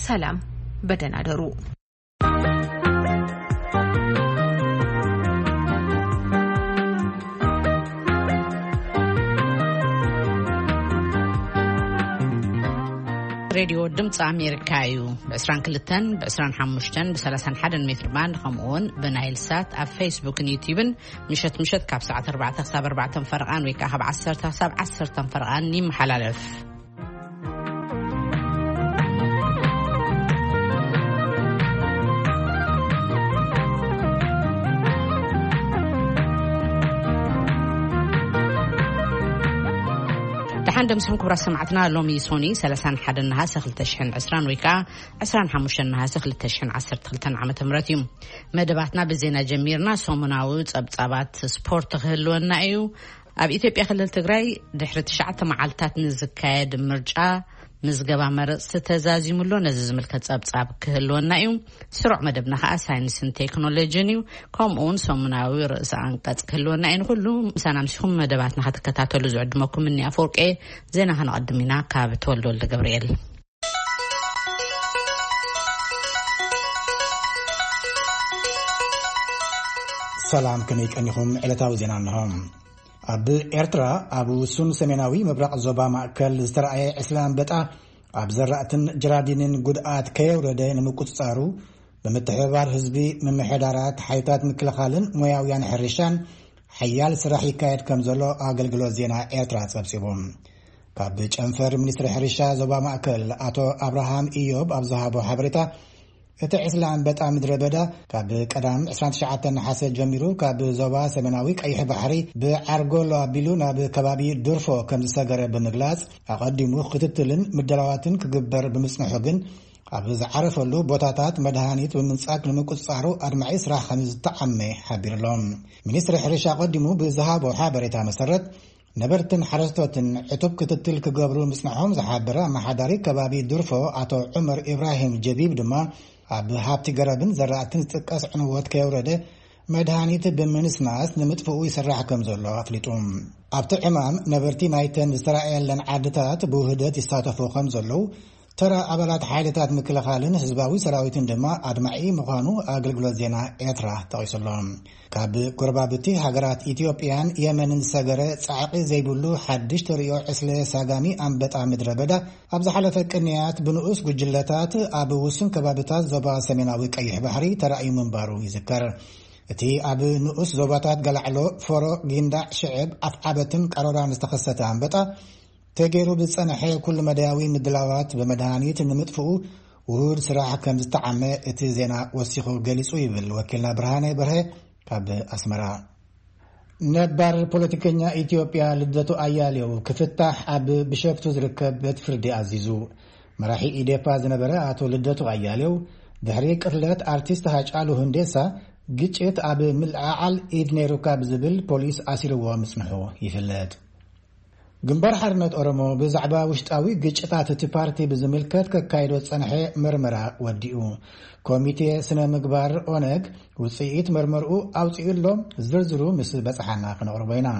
ሰላም፣ በደህና ደሩ። ሬድዮ ድምፂ ኣሜሪካ እዩ። ብ22፣ ብ25፣ ብ31 ሜትር ባንድ፣ ከምኡ እውን ብናይል ሳት ኣብ ፌስቡክን ዩቲዩብን ምሸት ምሸት ካብ ሰዓት ኣርባዕተ ክሳብ ኣርባዕተ ፈረቓን ወይ ከዓ ካብ ዓሰርተ ክሳብ ዓሰርተ ፈረቓን ይመሓላለፍ። ደሓን ደምስኹም ክቡራት ሰማዕትና። ሎሚ ሶኒ ሰላሳን ሓደን ነሃሰ ክልተ ሽሕን ዕስራን ወይ ከዓ ዕስራን ሓሙሽተን ነሃሰ ክልተ ሽሕን ዓሰርተ ክልተን ዓመተ ምህረት እዩ። መደባትና ብዜና ጀሚርና፣ ሰሙናዊ ጸብጻባት ስፖርት ክህልወና እዩ። ኣብ ኢትዮጵያ ክልል ትግራይ ድሕሪ ትሽዓተ መዓልታት ንዝካየድ ምርጫ ምዝገባ መረፅቲ ተዛዚሙ ኣሎ። ነዚ ዝምልከት ጸብጻብ ክህልወና እዩ። ስሩዕ መደብና ከዓ ሳይንስን ቴክኖሎጂን እዩ። ከምኡ እውን ሰሙናዊ ርእሰ ኣንቀጽ ክህልወና እዩ። ንኩሉ ምሳና ምሲኹም መደባትና ክትከታተሉ ዝዕድመኩም እኒ ኣፈወርቄ። ዜና ከነቐድም ኢና ካብ ተወልደ ወልደ ገብርኤል። ሰላም፣ ከመይ ቀኒኹም? ዕለታዊ ዜና እንሆ። ኣብ ኤርትራ፣ ኣብ ውሱን ሰሜናዊ ምብራቕ ዞባ ማእከል ዝተረኣየ ዕስለ ኣንበጣ ኣብ ዘራእትን ጀራዲንን ጉድኣት ከየውረደ ንምቁጽጻሩ፣ ብምትሕብባር ህዝቢ፣ ምምሕዳራት፣ ሓይልታት ምክልኻልን ሞያውያን ሕርሻን ሓያል ስራሕ ይካየድ ከም ዘሎ ኣገልግሎት ዜና ኤርትራ ጸብጺቡ። ካብ ጨንፈር ሚኒስትሪ ሕርሻ ዞባ ማእከል ኣቶ ኣብርሃም ኢዮብ ኣብ ዝሃቦ ሓበሬታ፣ እቲ ዕስለ ኣንበጣ ምድረ በዳ ካብ ቀዳም ዕስራን ትሽዓተን ነሓሰ ጀሚሩ ካብ ዞባ ሰሜናዊ ቀይሕ ባሕሪ ብዓርጎሎ ኣቢሉ ናብ ከባቢ ዱርፎ ከም ዝሰገረ ብምግላጽ፣ ኣቐዲሙ ክትትልን ምድላዋትን ክግበር ብምጽንሑ ግን፣ ኣብ ዝዓረፈሉ ቦታታት መድሃኒት ብምንጻግ ንምቁጽጻሩ ኣድማዒ ስራሕ ከም ዝተዓመ ሓቢሩ ኣሎ። ሚኒስትሪ ሕርሻ ኣቐዲሙ ብዝሃቦ ሓበሬታ መሰረት፣ ነበርትን ሓረስቶትን ዕቱብ ክትትል ክገብሩ ምጽንሖም ዝሓበረ ኣመሓዳሪ ከባቢ ዱርፎ ኣቶ ዑመር ኢብራሂም ጀቢብ ድማ፣ ኣብ ሃብቲ ገረብን ዘራእትን ዝጥቀስ ዕንወት ከየውረደ መድሃኒት ብምንስናስ ንምጥፍኡ ይስራሕ ከም ዘሎ ኣፍሊጡ። ኣብቲ ዕማም ነበርቲ ናይተን ዝተራእየለን ዓድታት ብውህደት ይሳተፉ ከም ዘለዉ፣ ተራ ኣባላት ሓይልታት ምክልኻልን ህዝባዊ ሰራዊትን ድማ ኣድማዒ ምዃኑ ኣገልግሎት ዜና ኤርትራ ጠቒሱ ኣሎ። ካብ ጎረባብቲ ሃገራት ኢትዮጵያን የመንን ዝሰገረ ጻዕቂ ዘይብሉ ሓድሽ ተርእዮ ዕስለ ሳጋሚ ኣንበጣ ምድረ በዳ ኣብ ዝሓለፈ ቅንያት ብንኡስ ጉጅለታት ኣብ ውሱን ከባብታት ዞባ ሰሜናዊ ቀይሕ ባሕሪ ተራእዩ ምንባሩ ይዝከር። እቲ ኣብ ንኡስ ዞባታት ገላዕሎ፣ ፎሮ፣ ጊንዳዕ፣ ሽዕብ፣ ኣፍዓበትን ቀሮራን ዝተኸሰተ ኣንበጣ፣ ተገይሩ ብዝጸንሐ ኩሉ መዳያዊ ምድላዋት ብመድሃኒት ንምጥፍኡ ውሁድ ስራሕ ከም ዝተዓመ እቲ ዜና ወሲኹ ገሊጹ ይብል ወኪልና ብርሃነ በርሀ ካብ ኣስመራ። ነባር ፖለቲከኛ ኢትዮጵያ ልደቱ ኣያሌው ክፍታሕ ኣብ ቢሾፍቱ ዝርከብ ቤት ፍርዲ ኣዚዙ። መራሒ ኢዴፓ ዝነበረ ኣቶ ልደቱ ኣያሌው ድሕሪ ቅትለት ኣርቲስት ሃጫሉ ሁንዴሳ ግጭት ኣብ ምልዕዓል ኢድ ነይሩካ ብዝብል ፖሊስ ኣሲርዎ ምጽንሑ ይፍለጥ። ግንባር ሓርነት ኦሮሞ ብዛዕባ ውሽጣዊ ግጭታት እቲ ፓርቲ ብዝምልከት ከካይዶ ዝጸንሐ መርመራ ወዲኡ። ኮሚቴ ስነ ምግባር ኦነግ ውጽኢት መርመርኡ ኣውጺኡ ኣሎ። ዝርዝሩ ምስ በጽሓና ክነቕርቦ ኢና።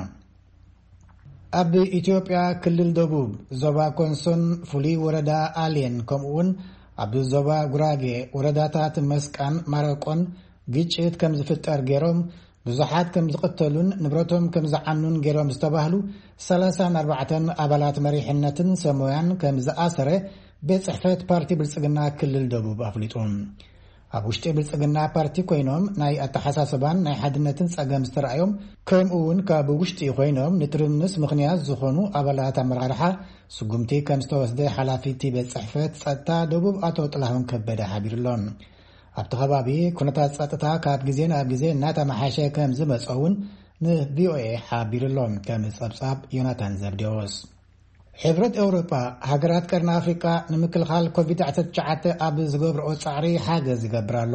ኣብ ኢትዮጵያ ክልል ደቡብ ዞባ ኮንሶን ፍሉይ ወረዳ ኣሌን ከምኡውን ኣብ ዞባ ጉራጌ ወረዳታት መስቃን ማረቆን ግጭት ከም ዝፍጠር ገይሮም ብዙሓት ከም ዝቕተሉን ንብረቶም ከም ዝዓኑን ገይሮም ዝተባህሉ ሰላሳን ኣርባዕተን ኣባላት መሪሕነትን ሰሞያን ከም ዝኣሰረ ቤት ጽሕፈት ፓርቲ ብልጽግና ክልል ደቡብ ኣፍሊጡ። ኣብ ውሽጢ ብልጽግና ፓርቲ ኮይኖም ናይ ኣተሓሳስባን ናይ ሓድነትን ጸገም ዝተረኣዮም፣ ከምኡ እውን ካብ ውሽጢ ኮይኖም ንትርምስ ምኽንያት ዝኾኑ ኣባላት ኣመራርሓ ስጉምቲ ከም ዝተወስደ ሓላፊ እቲ ቤት ጽሕፈት ጸጥታ ደቡብ ኣቶ ጥላሁን ከበደ ሓቢሩሎም። ኣብቲ ከባቢ ኩነታት ጸጥታ ካብ ግዜ ናብ ግዜ እናተመሓሸ ከም ዝመጸ እውን ንቪኦኤ ሓቢሩሎም። ከም ጸብጻብ ዮናታን ዘብዴዎስ። ሕብረት ኤውሮጳ፣ ሃገራት ቀርኒ ኣፍሪቃ ንምክልኻል ኮቪድ ዓሰርተ ትሽዓተ ኣብ ዝገብርኦ ጻዕሪ ሓገዝ ይገብር ኣሎ።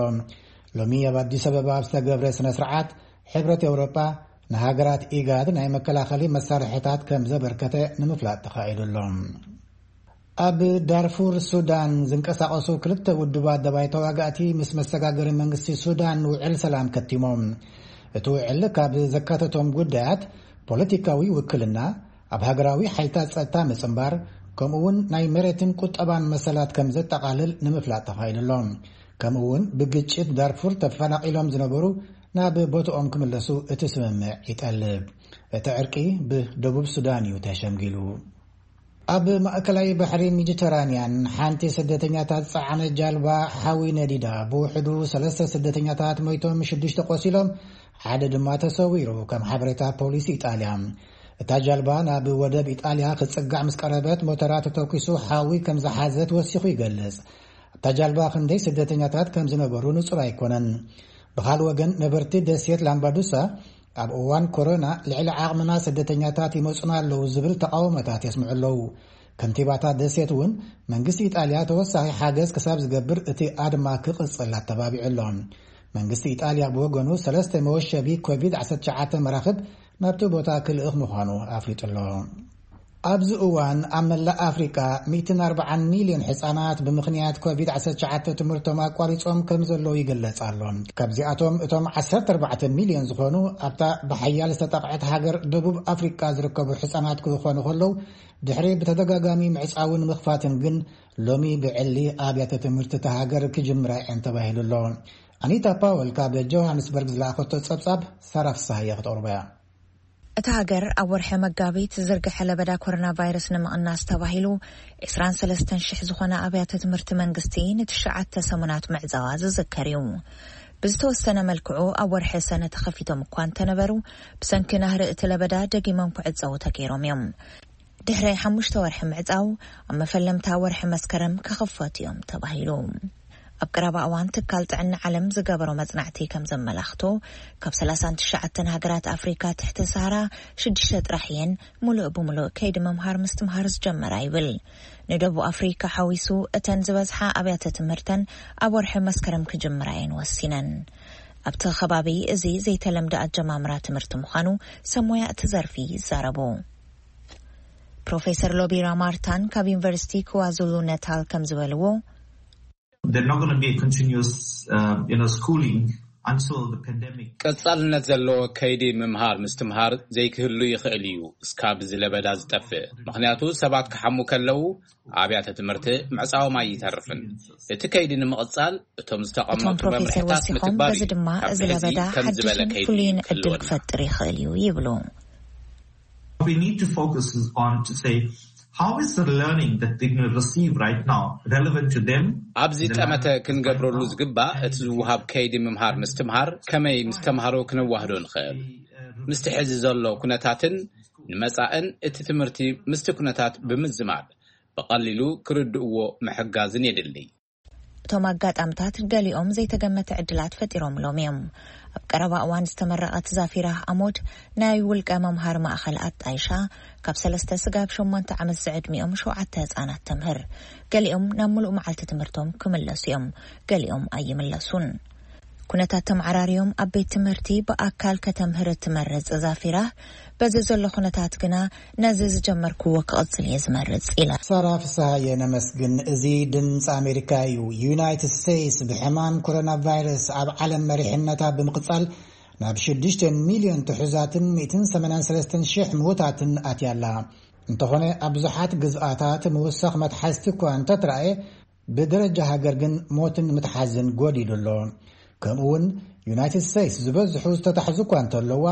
ሎሚ ኣብ ኣዲስ ኣበባ ኣብ ዝተገብረ ስነ ስርዓት፣ ሕብረት ኤውሮጳ ንሃገራት ኢጋድ ናይ መከላኸሊ መሳርሕታት ከም ዘበርከተ ንምፍላጥ ተኻኢሉ ኣሎ። ኣብ ዳርፉር ሱዳን ዝንቀሳቐሱ ክልተ ውድባት ደባይ ተዋጋእቲ ምስ መሰጋገሪ መንግስቲ ሱዳን ውዕል ሰላም ከቲሞም። እቲ ውዕል ካብ ዘካተቶም ጉዳያት ፖለቲካዊ ውክልና፣ ኣብ ሃገራዊ ሓይልታት ጸጥታ ምጽንባር፣ ከምኡ እውን ናይ መሬትን ቁጠባን መሰላት ከም ዘጠቓልል ንምፍላጥ ተኻኢሉ ኣሎ። ከምኡ እውን ብግጭት ዳርፉር ተፈናቒሎም ዝነበሩ ናብ ቦትኦም ክምለሱ እቲ ስምምዕ ይጠልብ። እቲ ዕርቂ ብደቡብ ሱዳን እዩ ተሸምጊሉ። ኣብ ማእከላይ ባሕሪ ሜዲተራንያን ሓንቲ ስደተኛታት ጸዓነ ጃልባ ሓዊ ነዲዳ፣ ብውሕዱ ሰለስተ ስደተኛታት ሞይቶም፣ ሽዱሽተ ቆሲሎም፣ ሓደ ድማ ተሰዊሩ፣ ከም ሓበሬታ ፖሊስ ኢጣልያ። እታ ጃልባ ናብ ወደብ ኢጣልያ ክትጽጋዕ ምስ ቀረበት፣ ሞተራ ተተኩሱ ሓዊ ከም ዝሓዘት ወሲኹ ይገልጽ። ኣብታ ጃልባ ክንደይ ስደተኛታት ከም ዝነበሩ ንጹር ኣይኮነን። ብኻልእ ወገን፣ ነበርቲ ደሴት ላምባዱሳ ኣብ እዋን ኮሮና ልዕሊ ዓቕምና ስደተኛታት ይመጹና ኣለዉ ዝብል ተቓውሞታት የስምዑ ኣለዉ። ከንቲባታት ደሴት እውን መንግስቲ ኢጣልያ ተወሳኺ ሓገዝ ክሳብ ዝገብር እቲ ኣድማ ክቕጽል ኣተባቢዑ ኣሎ። መንግስቲ ኢጣልያ ብወገኑ ሰለስተ መወሸቢ ኮቪድ ዓሰርተ ትሽዓተ መራኽብ ናብቲ ቦታ ክልእኽ ምዃኑ ኣፍሊጡ ኣሎ። ኣብዚ እዋን ኣብ መላእ ኣፍሪቃ ሚእትን ኣርባዓን ሚልዮን ሕጻናት ብምኽንያት ኮቪድ ዓሰርተ ትሽዓተ ትምህርቶም ኣቋሪጾም ከም ዘለዉ ይግለጽ ኣሎ። ካብዚኣቶም እቶም ዓሰርተ ኣርባዕተ ሚልዮን ዝኾኑ ኣብታ ብሓያል ዝተጠቕዐት ሃገር ደቡብ ኣፍሪቃ ዝርከቡ ሕጻናት ክኾኑ ከለዉ፣ ድሕሪ ብተደጋጋሚ ምዕጻውን ምኽፋትን ግን ሎሚ ብዕሊ ኣብያተ ትምህርቲ እታ ሃገር ክጅምራ እየን ተባሂሉ ኣሎ። ኣኒታ ፓወል ካብ ጆሃንስበርግ ዝለኣኸቶ ጸብጻብ ሳራ ፍስሃየ ክተቕርቦ እያ። እታ ሃገር ኣብ ወርሒ መጋቢት ዝዝርግሐ ለበዳ ኮሮና ቫይረስ ንምቕናስ ተባሂሉ ዕስራን ሰለስተን ሽሕ ዝኾነ ኣብያተ ትምህርቲ መንግስቲ ንትሽዓተ ሰሙናት ምዕጻዋ ዝዝከር እዩ። ብዝተወሰነ መልክዑ ኣብ ወርሒ ሰነ ተኸፊቶም እኳ እንተነበሩ፣ ብሰንኪ ናህሪ እቲ ለበዳ ደጊሞም ክዕጸዉ ተገይሮም እዮም። ድሕሪ ሓሙሽተ ወርሒ ምዕጻው፣ ኣብ መፈለምታ ወርሒ መስከረም ክኽፈቱ እዮም ተባሂሉ። ኣብ ቀረባ እዋን ትካል ጥዕና ዓለም ዝገበሮ መጽናዕቲ ከም ዘመላኽቶ፣ ካብ ሰላሳን ትሽዓተን ሃገራት ኣፍሪካ ትሕቲ ሰሃራ ሽዱሽተ ጥራሕ እየን ሙሉእ ብሙሉእ ከይዲ ምምሃር ምስትምሃር ዝጀመራ ይብል። ንደቡብ ኣፍሪካ ሓዊሱ እተን ዝበዝሓ ኣብያተ ትምህርተን ኣብ ወርሒ መስከረም ክጅምራ እየን ወሲነን። ኣብቲ ከባቢ እዚ ዘይተለምደ ኣጀማምራ ትምህርቲ ምዃኑ ሰብ ሞያ እቲ ዘርፊ ይዛረቡ። ፕሮፌሰር ሎቢራ ማርታን ካብ ዩኒቨርሲቲ ክዋዙሉ ነታል ከም ዝበልዎ፣ They're not going to be a continuous, uh, you know, schooling until the pandemic. ቀጻልነት ዘለዎ ከይዲ ምምሃር ምስትምሃር ዘይክህሉ ይኽእል እዩ፣ እስካብ እዚ ለበዳ ዝጠፍእ። ምኽንያቱ ሰባት ክሓሙ ከለዉ ኣብያተ ትምህርቲ ምዕጻዎም ኣይተርፍን። እቲ ከይዲ ንምቕጻል እቶም ዝተቐመጡ እቶም ፕሮፌሰር መምርሕታት ወሲኾም፣ ምትግባር በዚ እዩ። ድማ ካብ እዚ ሕዚ ለበዳ ከም ዝበለ ሓድሽን ከይዲ ፍሉይን ክህልወና። ዕድል ክፈጥር ይኽእል እዩ ይብሉ። What we need to focus is on to say, how is the learning that they're going to receive right now relevant to them? ኣብዚ ጠመተ ክንገብረሉ ዝግባእ፣ እቲ ዝወሃብ ከይዲ ምምሃር ምስትምሃር ከመይ ምስ ተምሃሮ ክነዋህዶ ንኽእል፣ ምስቲ ሕዚ ዘሎ ኩነታትን ንመጻእን እቲ ትምህርቲ ምስቲ ኩነታት ብምዝማድ ብቐሊሉ ክርድእዎ ምሕጋዝን የድሊ። እቶም ኣጋጣምታት ገሊኦም ዘይተገመተ ዕድላት ፈጢሮምሎም እዮም። ኣብ ቀረባ እዋን ዝተመረቐት ዛፊራ ኣሞድ ናይ ውልቀ መምሃሪ ማእኸል ኣጣይሻ፣ ካብ ሰለስተ ስጋብ ሸሞንተ ዓመት ዝዕድሚኦም ሸውዓተ ህፃናት ተምህር። ገሊኦም ናብ ሙሉእ መዓልቲ ትምህርቶም ክምለሱ እዮም፣ ገሊኦም ኣይምለሱን። ኩነታት ተመዓራርዮም ኣብ ቤት ትምህርቲ ብኣካል ከተምህር እትመርጽ ዛፊራ፣ በዚ ዘሎ ኩነታት ግና ነዚ ዝጀመርክዎ ክቕጽል እየ ዝመርጽ ኢላ። ሳራ ፍስሃየ ነመስግን። እዚ ድምፂ ኣሜሪካ እዩ። ዩናይትድ ስቴትስ ብሕማም ኮሮና ቫይረስ ኣብ ዓለም መሪሕነታ ብምቕጻል ናብ ሽዱሽተ ሚልዮን ትሑዛትን ሚእትን ሰማንያን ሰለስተን ሽሕ ምዉታትን ኣትያ ኣላ። እንተኾነ ኣብ ብዙሓት ግዝኣታት ምውሳኽ መትሓዝቲ እኳ እንተትረኣየ፣ ብደረጃ ሃገር ግን ሞትን ምትሓዝን ጎዲሉ ኣሎ። ከምኡ እውን ዩናይትድ ስቴትስ ዝበዝሑ ዝተታሕዙ እኳ እንተለዋ፣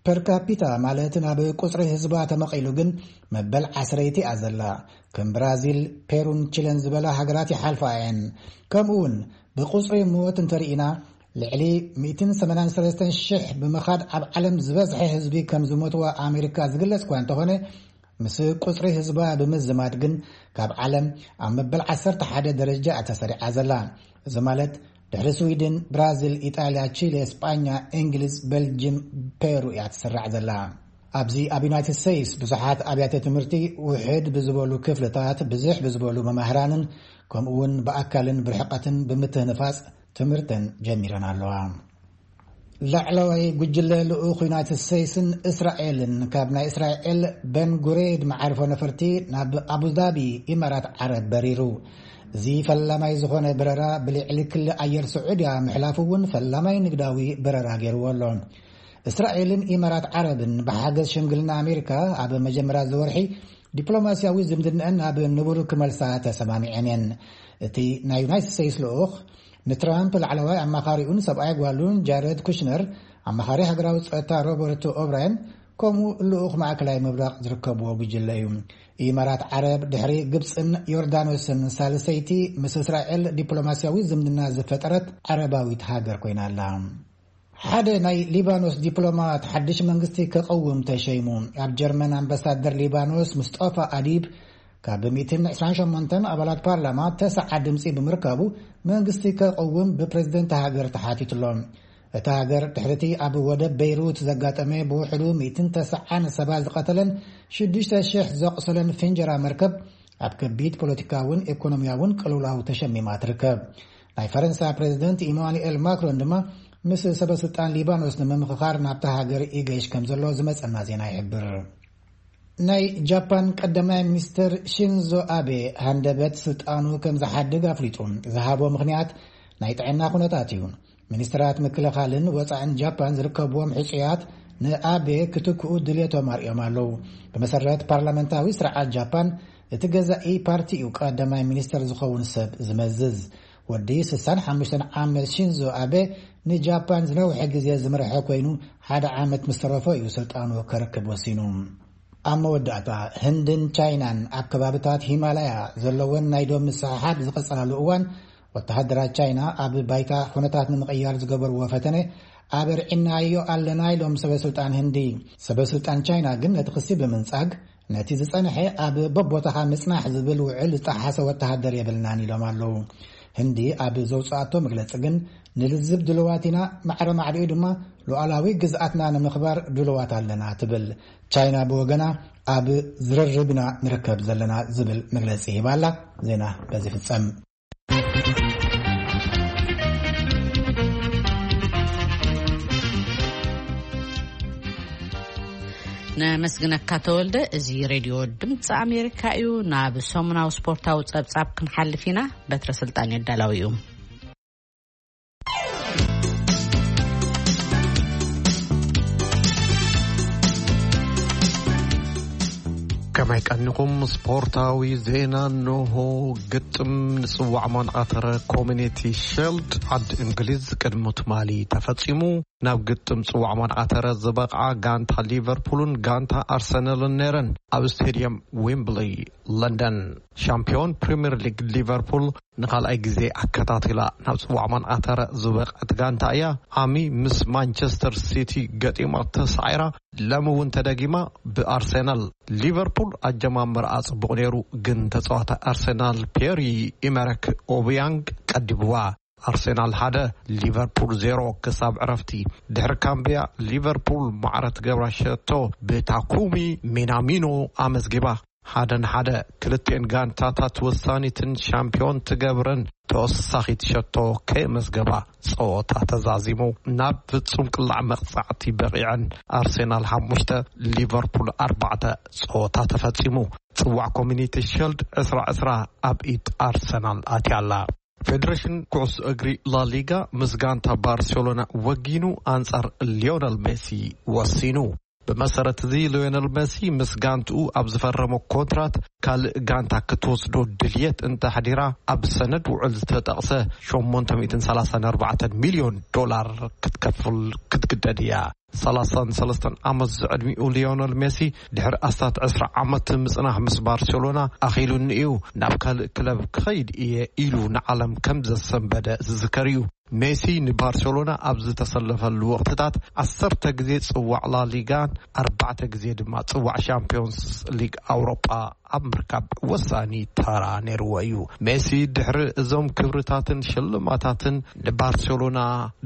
ፐር ካፒታ ማለት ናብ ቁጽሪ ህዝባ ተመቒሉ ግን መበል ዓስረይቲ እያ ዘላ። ከም ብራዚል፣ ፔሩን ቺለን ዝበላ ሃገራት ይሓልፋ እየን። ከምኡ እውን ብቁጽሪ ሞት እንተርኢና፣ ልዕሊ ሚእትን ሰማንያን ሰለስተን ሽሕ ብምኻድ ኣብ ዓለም ዝበዝሐ ህዝቢ ከም ዝሞትዋ ኣሜሪካ ዝግለጽ እኳ እንተኾነ፣ ምስ ቁጽሪ ህዝባ ብምዝማድ ግን ካብ ዓለም ኣብ መበል ዓሰርተ ሓደ ደረጃ እያ ተሰሪዓ ዘላ። እዚ ማለት ድሕሪ ስዊድን፣ ብራዚል፣ ኢጣልያ፣ ቺለ፣ ስጳኛ፣ እንግሊዝ፣ በልጅም፣ ፔሩ እያ ትስራዕ ዘላ። ኣብዚ ኣብ ዩናይትድ ስቴትስ ብዙሓት ኣብያተ ትምህርቲ ውሕድ ብዝበሉ ክፍልታት፣ ብዝሕ ብዝበሉ መማህራንን ከምኡ እውን ብኣካልን ብርሕቀትን ብምትህንፋጽ ትምህርተን ጀሚረን ኣለዋ። ላዕለዋይ ጉጅለ ልኡኽ ዩናይትድ ስቴትስን እስራኤልን ካብ ናይ እስራኤል ቤን ጉሬድ መዓርፎ ነፈርቲ ናብ ኣቡዳቢ ኢማራት ዓረብ በሪሩ። እዚ ፈላማይ ዝኾነ በረራ ብልዕሊ ክሊ ኣየር ስዑድያ ምሕላፉ እውን ፈላማይ ንግዳዊ በረራ ገይርዎ ኣሎ። እስራኤልን ኢማራት ዓረብን ብሓገዝ ሽምግልና ኣሜሪካ ኣብ መጀመርያ እዚ ወርሒ ዲፕሎማስያዊ ዝምድናኣን ናብ ንቡር ክመልሳ ተሰማሚዐን እየን። እቲ ናይ ዩናይትድ ስቴትስ ልኡኽ ንትራምፕ ላዕለዋይ ኣማኻሪኡን ሰብኣይ ጓሉን ጃረድ ኩሽነር፣ ኣማኻሪ ሃገራዊ ጸጥታ ሮበርት ኦብራየን፣ ከምኡ ልኡኽ ማእከላይ ምብራቕ ዝርከብዎ ጉጅለ እዩ። ኢማራት ዓረብ ድሕሪ ግብጽን ዮርዳኖስን ሳልሰይቲ ምስ እስራኤል ዲፕሎማስያዊ ዝምድና ዝፈጠረት ዓረባዊት ሃገር ኮይና ኣላ። ሓደ ናይ ሊባኖስ ዲፕሎማት ሓድሽ መንግስቲ ከቐውም ተሸይሙ። ኣብ ጀርመን ኣምባሳደር ሊባኖስ ሙስጠፋ ኣዲብ ካብ ሚእትን ዕስራን ሸሞንተን ኣባላት ፓርላማ ተስዓ ድምፂ ብምርካቡ መንግስቲ ከቐውም ብፕሬዝደንት ሃገር ተሓቲቱሎ። እታ ሃገር ድሕሪቲ ኣብ ወደብ ቤይሩት ዘጋጠመ ብውሕዱ ሚእትን ተስዓን ሰባት ዝቐተለን ሽዱሽተ ሽሕ ዘቑሰለን ፍንጀራ መርከብ ኣብ ከቢድ ፖለቲካውን ኢኮኖሚያውን ቅልውላው ተሸሚማ ትርከብ። ናይ ፈረንሳ ፕሬዝደንት ኢማኑኤል ማክሮን ድማ ምስ ሰበ ስልጣን ሊባኖስ ንምምኽኻር ናብታ ሃገር ይገይሽ ከም ዘሎ ዝመጸና ዜና ይሕብር። ናይ ጃፓን ቀዳማይ ሚኒስትር ሺንዞ ኣቤ ሃንደበት ስልጣኑ ከም ዝሓድግ ኣፍሊጡ። ዝሃቦ ምኽንያት ናይ ጥዕና ኩነታት እዩ። ሚኒስትራት ምክልኻልን ወጻእን ጃፓን ዝርከብዎም ሕጹያት ንኣቤ ክትክኡ ድልየቶም ኣርእዮም ኣለዉ። ብመሰረት ፓርላመንታዊ ስርዓት ጃፓን፣ እቲ ገዛኢ ፓርቲ እዩ ቀዳማይ ሚኒስትር ዝኸውን ሰብ ዝመዝዝ። ወዲ ስሳን ሓሙሽተን ዓመት ሺንዞ ኣቤ ንጃፓን ዝነውሐ ግዜ ዝመርሐ ኮይኑ፣ ሓደ ዓመት ምስ ተረፎ እዩ ስልጣኑ ከረክብ ወሲኑ። ኣብ መወዳእታ፣ ህንድን ቻይናን ኣብ ከባብታት ሂማላያ ዘለወን ናይ ዶብ ምስሕሓብ ዝቐጸላሉ እዋን፣ ወተሃደራት ቻይና ኣብ ባይታ ኩነታት ንምቕያር ዝገበርዎ ፈተነ ኣበርዒናዮ ኣለና ኢሎም ሰበ ስልጣን ህንዲ። ሰበ ስልጣን ቻይና ግን ነቲ ክሲ ብምንጻግ፣ ነቲ ዝጸንሐ ኣብ በቦታኻ ምጽናሕ ዝብል ውዕል ዝጠሓሰ ወተሃደር የብልናን ኢሎም ኣለዉ። ህንዲ ኣብ ዘውጽኣቶ መግለጺ ግን፣ ንልዝብ ድልዋት ኢና፣ ማዕረ ማዕሪኡ ድማ ሉዓላዊ ግዝኣትና ንምኽባር ድልዋት ኣለና ትብል። ቻይና ብወገና፣ ኣብ ዝርርብ ኢና ንርከብ ዘለና ዝብል መግለጺ ሂባ ኣላ። ዜና በዚ ፍጸም። ነመስግነካ ተወልደ። እዚ ሬድዮ ድምፂ ኣሜሪካ እዩ። ናብ ሰሙናዊ ስፖርታዊ ጸብጻብ ክንሓልፍ ኢና። በትረ ስልጣን የዳላዊ እዩ። ከመይ ቀኒኹም? ስፖርታዊ ዜና እንሆ። ግጥም ንጽዋዕ ማንኣተረ ኮሚኒቲ ሸልድ ዓዲ እንግሊዝ ቅድሚ ትማሊ ተፈጺሙ። ናብ ግጥም ጽዋዕ ማንኣተረ ዝበቕዓ ጋንታ ሊቨርፑልን ጋንታ ኣርሰናልን ነይረን። ኣብ ስቴድየም ዊምብሊ ለንደን፣ ሻምፒዮን ፕሪምየር ሊግ ሊቨርፑል ንኻልኣይ ግዜ ኣከታቲላ ናብ ጽዋዕ ማንኣተረ ዝበቕዐት ጋንታ እያ። ዓሚ ምስ ማንቸስተር ሲቲ ገጢማ ተሳዒራ፣ ሎሚ እውን ተደጊማ ብኣርሰናል። ሊቨርፑል ኣጀማምራኣ ጽቡቕ ነይሩ፣ ግን ተጻዋታይ ኣርሰናል ፒየሪ ኢመረክ ኦብያንግ ቀዲብዋ። ኣርሰናል ሓደ፣ ሊቨርፑል ዜሮ ክሳብ ዕረፍቲ። ድሕሪ ካምቢያ፣ ሊቨርፑል ማዕረ ትገብራ ሸቶ ብታኩሚ ሚናሚኖ ኣመዝጊባ። ሓደ ንሓደ፣ ክልቲኤን ጋንታታት ወሳኒትን ሻምፒዮን ትገብረን ተወሳኺት ሸቶ ከየመዝገባ ጸወታ ተዛዚሙ። ናብ ፍጹም ቅላዕ መቕጻዕቲ በቒዐን። ኣርሰናል ሓሙሽተ፣ ሊቨርፑል ኣርባዕተ። ጸወታ ተፈጺሙ። ጽዋዕ ኮሚኒቲ ሸልድ ዕስራ ዕስራ ኣብ ኢድ ኣርሰናል ኣትያ ኣላ። ፌደሬሽን ኩዕሶ እግሪ ላሊጋ ምስ ጋንታ ባርሴሎና ወጊኑ ኣንጻር ሊዮነል ሜሲ ወሲኑ። ብመሰረት እዚ፣ ሊዮነል ሜሲ ምስ ጋንትኡ ኣብ ዝፈረሞ ኮንትራት ካልእ ጋንታ ክትወስዶ ድልየት እንተሕዲራ፣ ኣብ ሰነድ ውዕል ዝተጠቕሰ ሸሞንተ ሚእትን ሰላሳን ኣርባዕተን ሚልዮን ዶላር ክትከፍል ክትግደድ እያ። ሰላሳን ሰለስተን ዓመት ዝዕድሚኡ ሊዮነል ሜሲ፣ ድሕሪ ኣስታት ዕስራ ዓመት ምጽናሕ ምስ ባርሴሎና ኣኺሉኒ እዩ፣ ናብ ካልእ ክለብ ክኸይድ እየ ኢሉ ንዓለም ከም ዘሰንበደ ዝዝከር እዩ። ሜሲ ንባርሴሎና ኣብ ዝተሰለፈሉ ወቕትታት ዓሰርተ ግዜ ጽዋዕ ላሊጋን ኣርባዕተ ግዜ ድማ ጽዋዕ ሻምፒዮንስ ሊግ ኣውሮጳ ኣብ ምርካብ ወሳኒ ተራ ነይርዎ እዩ። ሜሲ ድሕሪ እዞም ክብርታትን ሽልማታትን ንባርሴሎና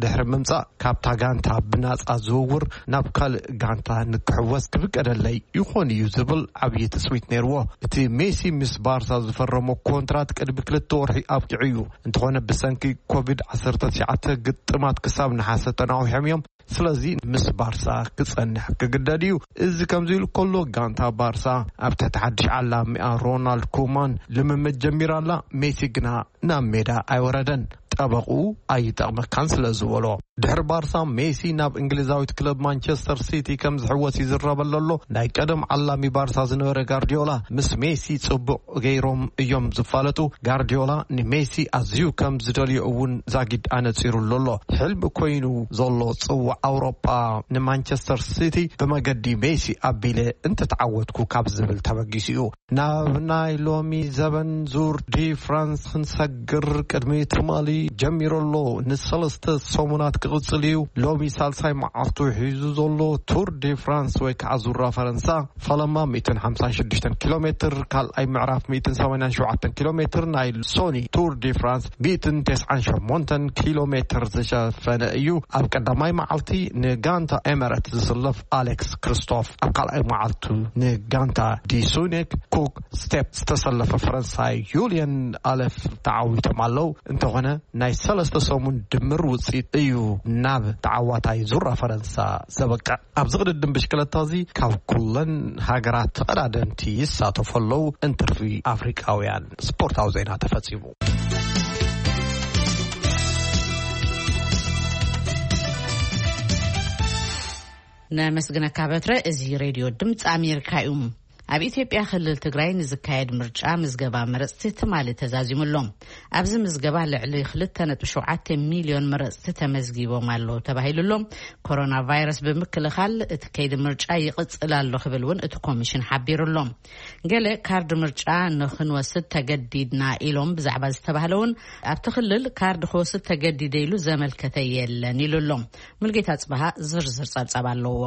ድሕሪ ምምጻእ፣ ካብታ ጋንታ ብናጻ ዝውውር ናብ ካልእ ጋንታ ንክሕወስ ክፍቀደለይ ይኾን እዩ ዝብል ዓብዪ ትጽቢት ነይርዎ። እቲ ሜሲ ምስ ባርሳ ዝፈረሞ ኮንትራት ቅድሚ ክልተ ወርሒ ኣብቂዑ እዩ። እንተኾነ፣ ብሰንኪ ኮቪድ ዓሰርተ ትሽዓተ ግጥማት ክሳብ ነሓሰ ተናዊሖም እዮም። ስለዚ ምስ ባርሳ ክጸንሕ ክግደድ እዩ። እዚ ከምዚ ኢሉ ከሎ፣ ጋንታ ባርሳ ኣብ ትሕቲ ሓድሽ ዓላሚኣ ሮናልድ ኩማን ልምምድ ጀሚራ ኣላ። ሜሲ ግና ናብ ሜዳ ኣይወረደን። ጠበቑ ኣይጠቕመካን ስለ ዝበሎ። ድሕሪ ባርሳ ሜሲ ናብ እንግሊዛዊት ክለብ ማንቸስተር ሲቲ ከም ዝሕወስ ይዝረበሉ ኣሎ። ናይ ቀደም ዓላሚ ባርሳ ዝነበረ ጋርዲዮላ ምስ ሜሲ ጽቡቕ ገይሮም እዮም ዝፋለጡ። ጋርዲዮላ ንሜሲ ኣዝዩ ከም ዝደልዮ እውን ዛጊድ ኣነጺሩሉ ኣሎ። ሕልሚ ኮይኑ ዘሎ ጽዋዕ ኣውሮጳ ንማንቸስተር ሲቲ ብመገዲ ሜሲ ኣቢለ እንተተዓወትኩ ካብ ዝብል ተበጊሱ እዩ። ናብ ናይ ሎሚ ዘበን ዙር ዲ ፍራንስ ክንሰግር ቅድሚ ትማሊ ጀሚሩ ኣሎ። ንሰለስተ ሰሙናት ክቕጽል እዩ። ሎሚ ሳልሳይ መዓልቱ ሒዙ ዘሎ ቱር ዲ ፍራንስ ወይ ከዓ ዙራ ፈረንሳ ፈለማ ሚእትን ሓምሳን ሽዱሽተን ኪሎ ሜትር፣ ካልኣይ ምዕራፍ ሚእትን ሰማንያን ሸውዓተን ኪሎ ሜትር፣ ናይ ሶኒ ቱር ዲ ፍራንስ ሚእትን ተስዓን ሸሞንተን ኪሎ ሜትር ዝሸፈነ እዩ። ኣብ ቀዳማይ መዓልቲ ንጋንታ ኤመረት ዝስለፍ ኣሌክስ ክርስቶፍ፣ ኣብ ካልኣይ መዓልቱ ንጋንታ ዲሱኔክ ኩክ ስቴፕ ዝተሰለፈ ፈረንሳይ ዩልየን ኣለፍ ተዓዊቶም ኣለዉ። እንተኾነ ናይ ሰለስተ ሰሙን ድምር ውፅኢት እዩ ናብ ተዓዋታይ ዙራ ፈረንሳ ዘበቅዕ። ኣብዚ ቅድድም ብሽክለታ እዚ ካብ ኩለን ሃገራት ተቐዳደምቲ ይሳተፉ ኣለዉ። እንትርፊ ኣፍሪቃውያን ስፖርታዊ ዜና ተፈጺሙ። ነመስግነካ በትረ። እዚ ሬድዮ ድምፂ ኣሜሪካ እዩ። ኣብ ኢትዮጵያ ክልል ትግራይ ንዝካየድ ምርጫ ምዝገባ መረፅቲ ትማሊ ተዛዚሙ ኣሎ። ኣብዚ ምዝገባ ልዕሊ ክልተ ነጥቢ ሸውዓተ ሚልዮን መረፅቲ ተመዝጊቦም ኣለዉ ተባሂሉ ኣሎ። ኮሮና ቫይረስ ብምክልኻል እቲ ከይዲ ምርጫ ይቕፅል ኣሎ ክብል እውን እቲ ኮሚሽን ሓቢሩ ኣሎ። ገለ ካርድ ምርጫ ንክንወስድ ተገዲድና ኢሎም ብዛዕባ ዝተባህለ እውን ኣብቲ ክልል ካርድ ክወስድ ተገዲደ ኢሉ ዘመልከተ የለን ኢሉ ኣሎ። ሙልጌታ ጽበሃ ዝርዝር ጸብጻብ ኣለዎ።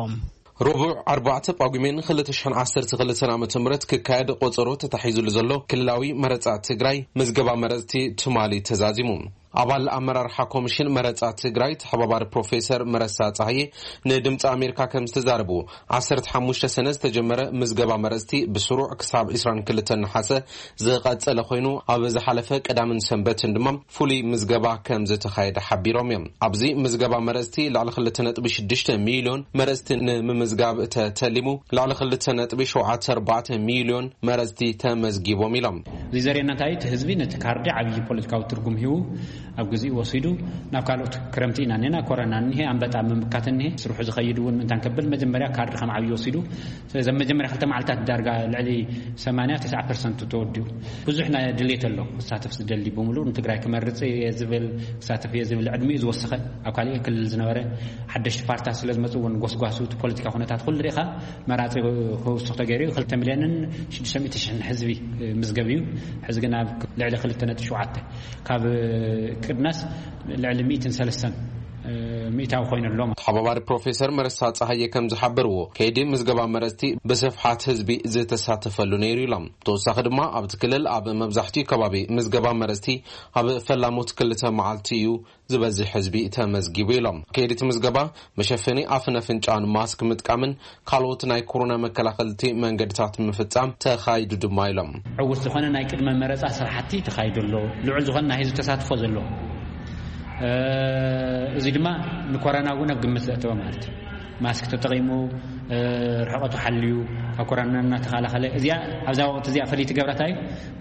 ረቡዕ ኣርባዕተ ጳጉሜን ክልተ ሽሕን ዓሰርተ ክልተን ዓመተ ምህረት ክካየድ ቆጸሮ ተታሒዙሉ ዘሎ ክልላዊ መረጻ ትግራይ ምዝገባ መረጽቲ ትማሊ ተዛዚሙ። ኣባል ኣመራርሓ ኮሚሽን መረጻ ትግራይ ተሓባባሪ ፕሮፌሰር መረሳ ጸሃየ ንድምፂ ኣሜሪካ ከም ዝተዛረቡ፣ ዓሰርተ ሓሙሽተ ሰነ ዝተጀመረ ምዝገባ መረጽቲ ብስሩዕ ክሳብ ዕስራን ክልተን ነሓሰ ዝቐጸለ ኮይኑ፣ ኣብ ዝሓለፈ ቀዳምን ሰንበትን ድማ ፍሉይ ምዝገባ ከም ዝተኻየደ ሓቢሮም እዮም። ኣብዚ ምዝገባ መረጽቲ ልዕሊ ክልተ ነጥቢ ሽዱሽተ ሚልዮን መረጽቲ ንምምዝጋብ ተተሊሙ፣ ልዕሊ ክልተ ነጥቢ ሸውዓተ ኣርባዕተ ሚልዮን መረጽቲ ተመዝጊቦም ኢሎም። እዚ ዘርእየና እንታይ? እቲ ህዝቢ ነቲ ካርዲ ዓብዪ ፖለቲካዊ ትርጉም ሂቡ ኣብ ግዜኡ ወሲዱ ናብ ካልኦት ክረምቲ ኢና እኒና፣ ኮረና እኒሄ፣ ኣንበጣ ምምካት እኒሄ፣ ስርሑ ዝኸይድ እውን ምእንታን ከብል መጀመርያ ካርዲ ከም ዓብዪ ወሲዱ። ስለዚ ኣብ መጀመርያ ክልተ መዓልታት ዳርጋ ልዕሊ ሰማንያ ተስዓ ፐርሰንት ተወዲኡ። ብዙሕ ናይ ድሌት ኣሎ። ክሳተፍ ዝደሊ ብምሉእ ንትግራይ ክመርጽ እየ ዝብል፣ ክሳተፍ እየ ዝብል ዕድሚኡ ዝወሰኸ፣ ኣብ ካሊእ ክልል ዝነበረ ሓደሽቲ ፓርትታት ስለ ዝመጹ እውን ጎስጓሱ እቲ ፖለቲካ ኩነታት ኩሉ ርኢኻ መራጺ ክውስኽ ተገይሩ እዩ። ክልተ ሚልዮንን ሽዱሽተ ሚእቲ ሽሕን ህዝቢ ምዝገብ እዩ። ሕዚ ግን ኣብ ልዕሊ ክልተ ነጥቢ ሸውዓተ፣ ካብ ቅድናስ ልዕሊ ሚእትን ሰለስተን ሚእታዊ ኮይኑ ኣሎ። ተሓባባሪ ፕሮፌሰር መረሳ ጸሃየ ከም ዝሓበርዎ፣ ከይዲ ምዝገባ መረጽቲ ብስፍሓት ህዝቢ ዝተሳተፈሉ ነይሩ ኢሎም። ብተወሳኺ ድማ ኣብቲ ክልል ኣብ መብዛሕትኡ ከባቢ ምዝገባ መረጽቲ ኣብ ፈላሞት ክልተ መዓልቲ እዩ ዝበዝሕ ህዝቢ ተመዝጊቡ ኢሎም። ከይዲ እቲ ምዝገባ መሸፈኒ ኣፍን ኣፍንጫን ማስክ ምጥቃምን ካልኦት ናይ ኮሮና መከላኸልቲ መንገድታት ምፍጻም ተኻይዱ ድማ ኢሎም። ዕዉት ዝኾነ ናይ ቅድመ መረጻ ስራሕቲ ተኻይዱ ኣሎ። ልዑል ዝኾነ ናይ ህዝቢ ተሳትፎ ዘለዎ። እ፣ እዚ ድማ ንኮረና እውን ኣብ ግምት ዘእተወ ማለት እዩ። ማስክ ተጠቒሙ፣ እ፣ ርሕቐቱ ሓልዩ፣ ካብ ኮረና እናተኸላኸለ፣ እዚኣ፣ ኣብዛ ወቕቲ እዚኣ ፍልይቲ ገብራታ እዩ።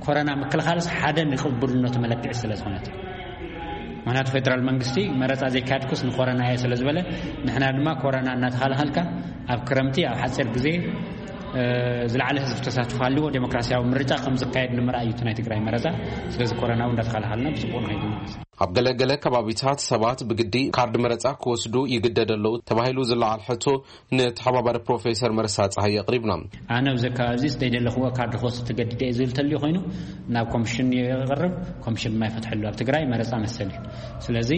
ኮረና ምክልኻልስ ሓደ ንቅቡልነቱ መለክዒ ስለ ዝኾነት። ምኽንያቱ ፌደራል መንግስቲ መረጻ ዘይካየድኩስ ንኮረና እየ ስለ ዝበለ፣ ንሕና ድማ ኮረና እናተኸላኸልካ ኣብ ክረምቲ ኣብ ሓጺር ግዜ፣ እ፣ ዝለዓለ ህዝቢ ተሳትፎ ሃልዎ ዴሞክራሲያዊ ምርጫ ከም ዝካየድ ንምርኣይ እዩ እቲ ናይ ትግራይ መረጻ። ስለዚ ኮረና እውን እንዳተኸላኸልና ብጽቡቕ ንኸይድ። ኣብ ገለ ገለ ከባቢታት ሰባት ብግዲ ካርድ መረጻ ክወስዱ ይግደዱ ኣለዉ ተባሂሉ ዝለዓል ሕቶ ንተሓባባሪ ፕሮፌሰር መረሳ ጸሃየ ኣቕሪብና። ኣነ ኣብዚ ከባቢ እዚ ዘይደለኽዎ ካርድ ክወስድ ተገዲደ እየ ዝብል ተልዩ ኮይኑ ናብ ኮሚሽን የቕርብ፣ ኮሚሽን ድማ ይፈትሐሉ። ኣብ ትግራይ መረጻ መሰል እዩ። ስለዚ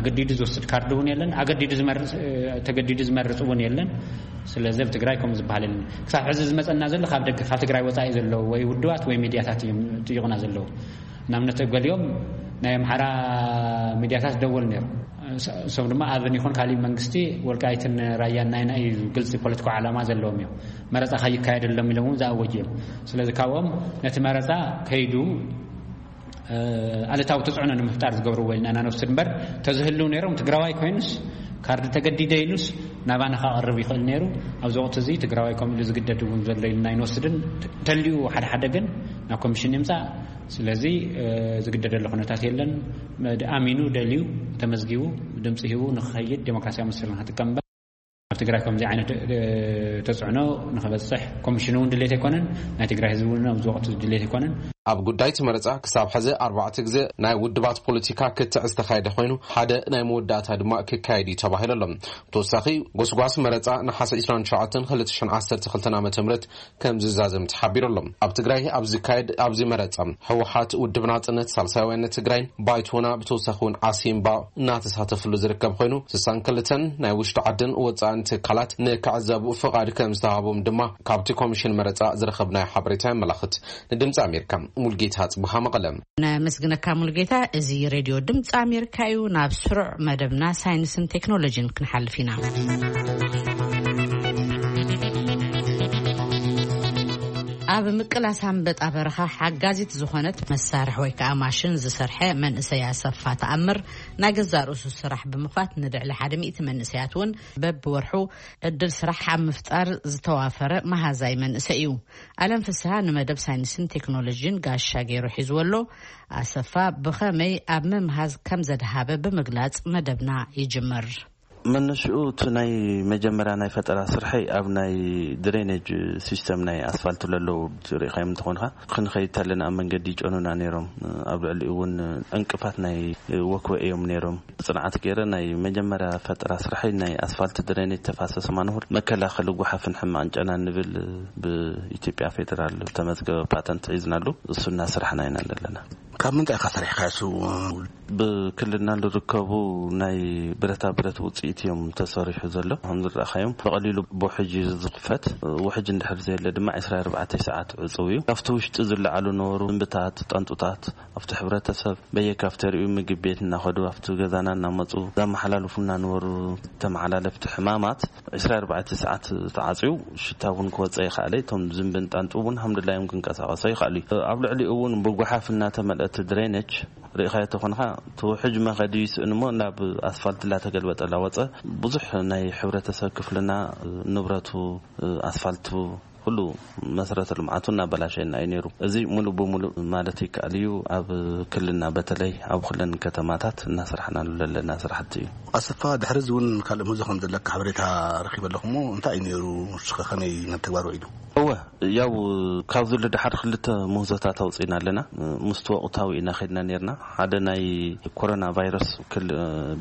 ኣገዲዱ ዝወስድ ካርድ እውን የለን፣ ኣገዲዱ ዝመርጽ፣ እ፣ ተገዲዱ ዝመርጽ እውን የለን። ስለዚ ኣብ ትግራይ ከምኡ ዝበሃል የለን። ክሳብ ሕዚ ዝመጸና ዘሎ ካብ ደገ፣ ካብ ትግራይ ወጻኢ ዘለዉ ወይ ውድባት ወይ ሚድያታት እዮም ጥይቑና ዘለዉ። ንኣብነት ገሊኦም ናይ ኣምሓራ ሚድያታት ደወል ነይሩ። እሶም ድማ ኣብን ይኹን ካሊእ መንግስቲ ወልቃይትን ራያን ናይና እዩ፣ ግልፂ ፖለቲካዊ ዓላማ ዘለዎም እዮም። መረፃ ከይካየደሎም ኢሎም እውን ዝኣወጁ እዮም። ስለዚ ካብኦም ነቲ መረፃ ከይዱ፣ እ፣ ኣለታዊ ተፅዕኖ ንምፍጣር ዝገብርዎ ኢልና ኢና ንወስድ እምበር፣ ተዝህልው ነይሮም ትግራዋይ ኮይኑስ ካርዲ ተገዲደ ኢሉስ ናባና ከቕርብ ይኽእል ነይሩ። ኣብዚ ወቕቲ እዚ ትግራዋይ ከምኡ ኢሉ ዝግደድ እውን ዘሎ ኢልና ኣይንወስድን። ተልዩ ሓደ ሓደ ግን ናብ ኮሚሽን ይምፃእ። ስለዚ ዝግደደሉ ኩነታት የለን። ኣሚኑ ደልዩ ተመዝጊቡ ድምፂ ሂቡ ንክኸይድ ዴሞክራሲያዊ መሰል ንክጥቀም እምበር ኣብ ትግራይ ከምዚ ዓይነት ተፅዕኖ ንክበፅሕ ኮሚሽን እውን ድሌት ኣይኮነን። ናይ ትግራይ ህዝቢ እውን ኣብዚ ወቅቲ ድሌት ኣይኮነን። ኣብ ጉዳይ እቲ መረፃ ክሳብ ሕዚ ኣርባዕተ ግዜ ናይ ውድባት ፖለቲካ ክትዕ ዝተኻየደ ኮይኑ ሓደ ናይ መወዳእታ ድማ ክካየድ እዩ ተባሂሉ ኣሎ። ብተወሳኺ ጎስጓስ መረፃ ነሓሰ ዕስራን ትሽዓተን ክልተ ሽሕን ዓሰርተ ክልተን ዓመተ ምህረት ከም ዝዛዘም ተሓቢሩ ኣሎ። ኣብ ትግራይ ኣብ ዝካየድ ኣብዚ መረፃ ህወሓት፣ ውድብ ናፅነት፣ ሳልሳይ ወያነ ትግራይን ባይቶና ብተወሳኺ እውን ዓሲምባ እናተሳተፍሉ ዝርከብ ኮይኑ ስሳን ክልተን ናይ ውሽጢ ዓድን ወፃእን ትካላት ንክዕዘቡ ፍቓድ ከም ዝተሃቦም ድማ ካብቲ ኮሚሽን መረፃ ዝረኸብናዮ ሓበሬታ የመላኽት። ንድምፂ ኣሜሪካ ሙልጌታ ጽቡሃ መቐለ። ነመስግነካ ሙልጌታ። እዚ ሬድዮ ድምፂ ኣሜሪካ እዩ። ናብ ስሩዕ መደብና ሳይንስን ቴክኖሎጂን ክንሓልፍ ኢና። ኣብ ምቅላስ ኣንበጣ በረኻ ሓጋዚት ዝኾነት መሳርሒ ወይ ከዓ ማሽን ዝሰርሐ መንእሰይ ኣሰፋ ተኣምር ናይ ገዛእ ርእሱ ስራሕ ብምኽፋት ንልዕሊ ሓደ ሚእቲ መንእሰያት እውን በብወርሑ ዕድል ስራሕ ኣብ ምፍጣር ዝተዋፈረ መሃዛይ መንእሰይ እዩ። ኣለም ፍስሃ ንመደብ ሳይንስን ቴክኖሎጂን ጋሻ ገይሩ ሒዝዎ ኣሎ። ኣሰፋ ብኸመይ ኣብ ምምሃዝ ከም ዘድሃበ ብምግላጽ መደብና ይጅምር። መነሽኡ እቲ ናይ መጀመርያ ናይ ፈጠራ ስርሐይ ኣብ ናይ ድሬኔጅ ሲስተም ናይ ኣስፋልት ለለዉ ሪኢኻዮም እንተኾንካ ክንኸይድ ተለና ኣብ መንገዲ ይጨኑና ነይሮም። ኣብ ልዕሊኡ እውን ዕንቅፋት ናይ ወክወ እዮም ነይሮም። ጽንዓት ገይረ ናይ መጀመርያ ፈጠራ ስርሐይ ናይ ኣስፋልት ድሬኔጅ ተፋሰስ ማንሆል መከላኸሊ ጓሓፍን ሕማቕን ጨናን ንብል ብኢትዮጵያ ፌዴራል ዝተመዝገበ ፓተንት ሒዝናሉ እሱ እናስራሕና ኢና ዘለና። ካብ ምንታይ ኢኻ ሰሪሕካ እሱ? ብክልልና ዝርከቡ ናይ ብረታ ብረት ውፅኢት እዮም ተሰሪሑ ዘሎ። ከም ዝረኣኻዮም ብቐሊሉ ብውሕጅ እዩ ዝኽፈት። ውሕጅ እንድሕር ዘየለ ድማ ዕስራ ኣርባዕተ ሰዓት ዕፁው እዩ። ኣብቲ ውሽጢ ዝለዓሉ ነበሩ እምብታት፣ ጠንጡታት ኣብቲ ሕብረተሰብ በየካፍተሪኡ ምግቢ ቤት እናኸዱ ኣብቲ ገዛና እናመፁ ዘመሓላልፉና ነበሩ። ተመሓላለፍቲ ሕማማት ዕስራ ኣርባዕተ ሰዓት ተዓፅዩ ሽታ እውን ክወፀ ይኽኣለ። እቶም ዝንብን ጣንጡ እውን ሃምድላዮም ክንቀሳቐሶ ይኽኣሉ እዩ። ኣብ ልዕሊኡ እውን ብጓሓፍ እናተመልአት ድሬነች ርኢኻዮ ተኾንኻ እቲ ውሕጅ መኸዲ ይስእን እሞ ናብ ኣስፋልት እናተገልበጠ እናወፀ ብዙሕ ናይ ሕብረተሰብ ክፍልና ንብረቱ ኣስፋልቱ ኩሉ መሰረተ ልምዓቱ እናበላሸና እዩ ነይሩ። እዚ ሙሉእ ብሙሉእ ማለት ይከኣል እዩ ኣብ ክልልና በተለይ ኣብ ኩለን ከተማታት እናስራሕናሉ ዘለና ስራሕቲ እዩ። ኣሰፋ፣ ድሕሪ እዚ እውን ካልእ ምህዞ ከም ዘለካ ሓበሬታ ረኺበ ኣለኹ እሞ እንታይ እዩ ነይሩ? ንስኸ ከመይ ናብ ተግባር ውዒሉ? እወ፣ ያው ካብዚ ንደሓር ክልተ ምህዞታት ኣውፂእና ኣለና። ምስቲ ወቕታዊ ኢና ከድና ነርና። ሓደ ናይ ኮሮና ቫይረስ ክል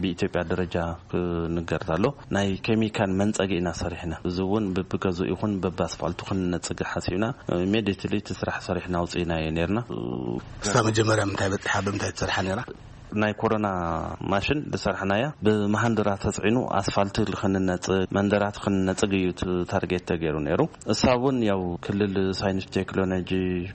ብኢትዮጵያ ደረጃ ክንገር ኣሎ። ናይ ኬሚካል መንፀጊ ኢና ሰሪሕና። እዚ እውን በብገዝኡ ይኹን በብኣስፋልቱ ክንነፅግ ሓሲብና ኢሜዲትሊ እቲ ስራሕ ሰሪሕና ኣውፅእናዮ ነርና። እሳ መጀመርያ ምንታይ በፂሓ ብምንታይ ትሰርሓ ነራ? ናይ ኮሮና ማሽን ዝሰርሕናያ ብመሃንድራ ተፅዒኑ ኣስፋልት ክንነፅግ መንደራት ክንነፅግ እዩ እቲ ታርጌት ተገይሩ ነይሩ። እሳ እውን ያው ክልል ሳይንስ ቴክኖሎጂ፣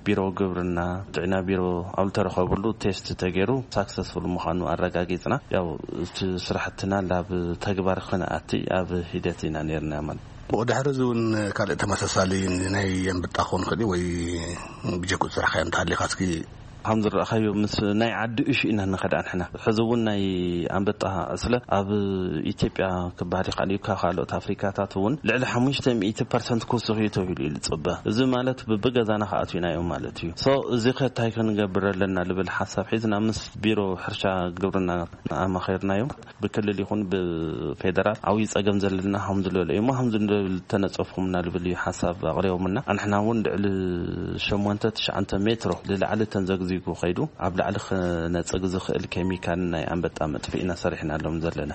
ቢሮ ግብርና፣ ጥዕና ቢሮ ኣብ ዝተረኸብሉ ቴስት ተገይሩ ሳክሰስፉል ምዃኑ ኣረጋጊፅና። ያው እቲ ስራሕትና ናብ ተግባር ክንኣቲ ኣብ ሂደት ኢና ነርና ማለት። ብኡ ድሕሪ እዚ እውን ካልእ ተመሳሳሊ ናይ ኣንበጣ ክኸውን ይኽእል እዩ ወይ ብጀኩ ዝስራሕካዮ እንተሃሊኻ እስኪ? ከም ዝረኣኻዮ ምስ ናይ ዓዲ እሹ ኢና ንኸዳ ንሕና። ሕዚ እውን ናይ ኣንበጣ ዕስለ ኣብ ኢትዮጵያ ክበሃል ይኽእል እዩ። ካብ ካልኦት ኣፍሪካታት እውን ልዕሊ ሓሙሽተ ሚእቲ ፐርሰንት ክውስኽ እዩ ተባሂሉ እዩ ዝፅበ። እዚ ማለት ብብገዛና ክኣትዩና እዮም ማለት እዩ። ሶ እዚ ከ እንታይ ክንገብር ኣለና ልብል ሓሳብ ሒዝና ምስ ቢሮ ሕርሻ ግብርና ኣማኸርናዮም። ብክልል ይኹን ብፌደራል ዓብዪ ፀገም ዘለና ከም ዝለሎ እዩ እሞ ከም ዝለሎ ተነፀፍኩምና ልብል እዩ ሓሳብ ኣቕሪቦምና። ኣንሕና እውን ልዕሊ ሸሞንተ ትሽዓተ ሜትሮ ንላዕሊ ተንዘግዚጉ ከይዱ ኣብ ላዕሊ ክነፅግ ዝኽእል ኬሚካል ናይ ኣንበጣ መጥፍኢ ኢና ሰሪሕናሎም ዘለና።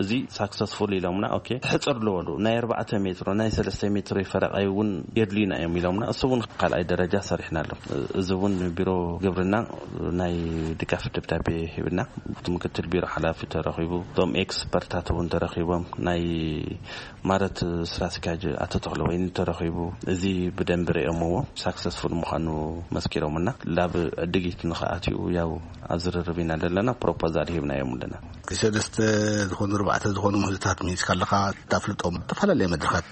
እዚ ሳክሰስፉል ኢሎምና። ኦኬ፣ ትሕፅር ዝበሉ ናይ ኣርባዕተ ሜትሮ ናይ ሰለስተ ሜትሮ ፈረቓይ እውን የድልዩና እዮም ኢሎምና። እሱ እውን ካልኣይ ደረጃ ሰሪሕናሎም። እዚ እውን ቢሮ ግብርና ናይ ድጋፍ ደብዳቤ ሂብና፣ እቲ ምክትል ቢሮ ሓላፊ ተረኺቡ፣ እቶም ኤክስፐርታት እውን ተረኺቦም፣ ናይ ማረት ስራ ኣስኪያጅ ኣቶ ተኽለ ወይኒ ተረኺቡ፣ እዚ ብደንቢ ርእዮምዎ ሳክሰስፉል ምዃኑ መስኪሮምና። ላብ ዕድጊት ንኽኣትዩ ያው ኣብ ዝርርብ ኢና ዘለና፣ ፕሮፖዛል ሂብናዮም ኣለና። ክሰለስተ ዝኾኑ ባዕተ ዝኾኑ ምህዞታት ሚኒስካ ኣለኻ፣ ታፍልጦም ዝተፈላለየ መድረኻት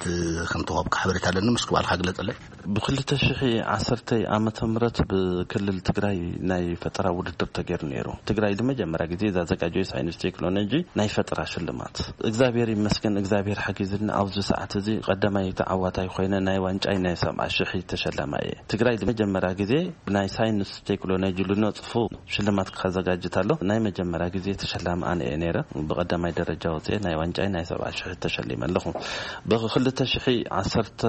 ከም ተዋብካ ሓበሬታ ኣለኒ። ምስ ክባልካ ግለጸለይ። ብ2010 ዓመተ ምህረት ብክልል ትግራይ ናይ ፈጠራ ውድድር ተገይሩ ነይሩ። ትግራይ ንመጀመርያ ግዜ ዘዘጋጀዩ ሳይንስ ቴክኖሎጂ ናይ ፈጠራ ሽልማት። እግዚኣብሔር ይመስገን፣ እግዚኣብሔር ሓጊዝና ኣብዚ ሰዓት እዚ ቀዳማይ ተዓዋታይ ኮይነ ናይ ዋንጫይ ናይ 70 ሺሕ ተሸላማይ እየ። ትግራይ ንመጀመርያ ግዜ ብናይ ሳይንስ ቴክኖሎጂ ልነጽፉ ሽልማት ከዘጋጅት ኣሎ። ናይ መጀመርያ ግዜ ተሸላሚ ኣነ እየ ነይረ። ብቐዳማይ ደረጃ ወፅኤ ናይ ዋንጫይ ናይ 70 ሺሕ ተሸሊመ ኣለኹ። ብ2011